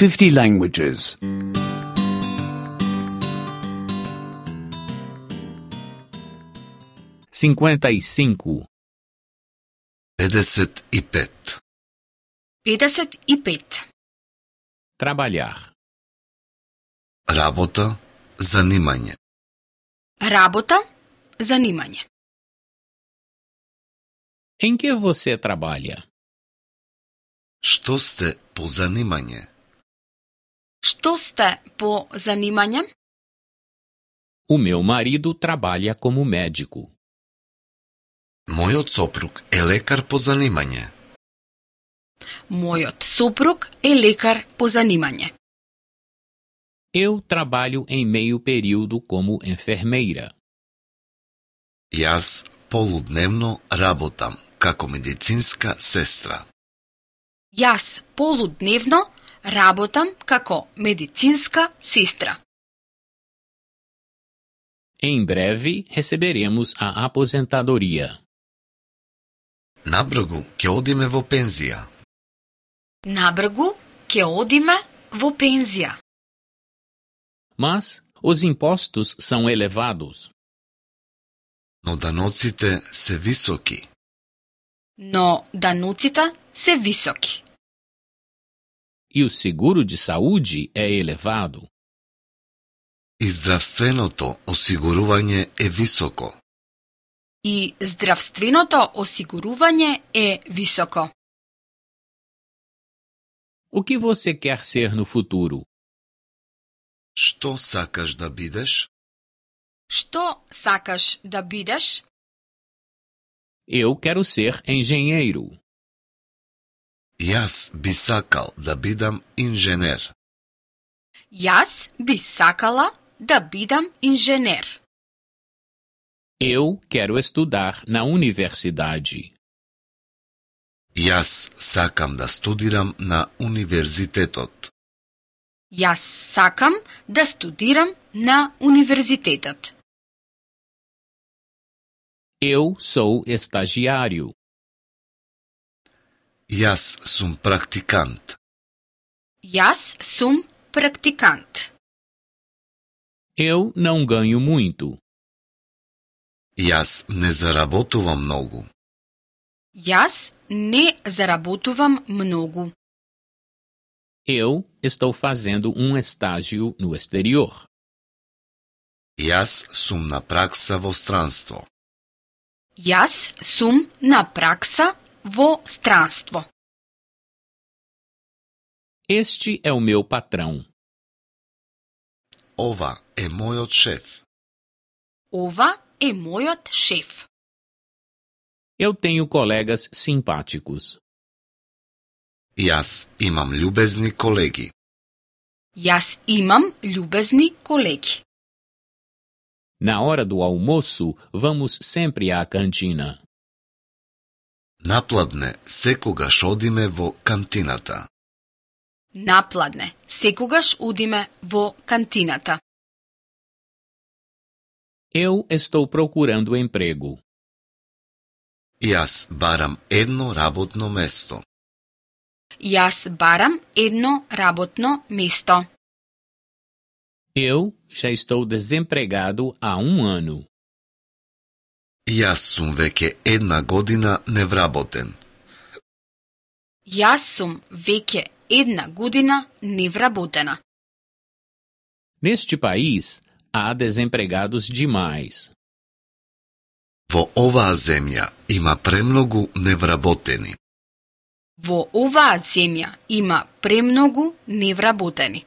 50 languages. 55. 55. 55. Trabalhar. Работа, занимање. Работа, занимање. Em que você trabalha? Што сте по занимање? Што сте по занимање? O meu marido trabalha como médico. Мојот сопруг е лекар по занимање. Мојот супруг е лекар по занимање. Eu trabalho em meio período como enfermeira. Јас полудневно работам како медицинска сестра. Јас полудневно работам како медицинска сестра. Em breve receberemos a aposentadoria. Набргу ќе одиме во пензија. Набргу ќе одиме во пензија. Mas os impostos são elevados. Но даноците се високи. Но дануците се високи. E o seguro de saúde é elevado. И здравственото осигурување е високо. И здравственото осигурување е високо. O que você quer ser no futuro? Што сакаш да бидеш? Што сакаш да бидеш? Eu quero ser engenheiro. Јас би сакал да бидам инженер. Јас би сакала да бидам инженер. Eu quero estudar na universidade. Јас сакам да студирам на универзитетот. Јас сакам да студирам на универзитетот. Eu sou estagiário. Јас сум практикант. Јас сум практикант. Eu não ganho muito. Јас не заработувам многу. Јас не заработувам многу. Eu estou fazendo um estágio no exterior. Јас сум на пракса во странство. Јас сум на пракса во странство. Este é o meu patrão. Ова е мојот шеф. Ова е мојот шеф. Eu tenho colegas simpáticos. Јас имам љубезни колеги. Јас имам љубезни колеги. Na hora do almoço, vamos sempre à cantina. Напладне секогаш одиме во кантината. Напладне секогаш одиме во кантината. Eu estou procurando emprego. Јас барам едно работно место. Јас барам едно работно место. Eu já estou desempregado há ano. Јас сум веќе една година невработен. Јас сум веќе една година невработена. Neste país, há desempregados demais. Во оваа земја има премногу невработени. Во оваа земја има премногу невработени.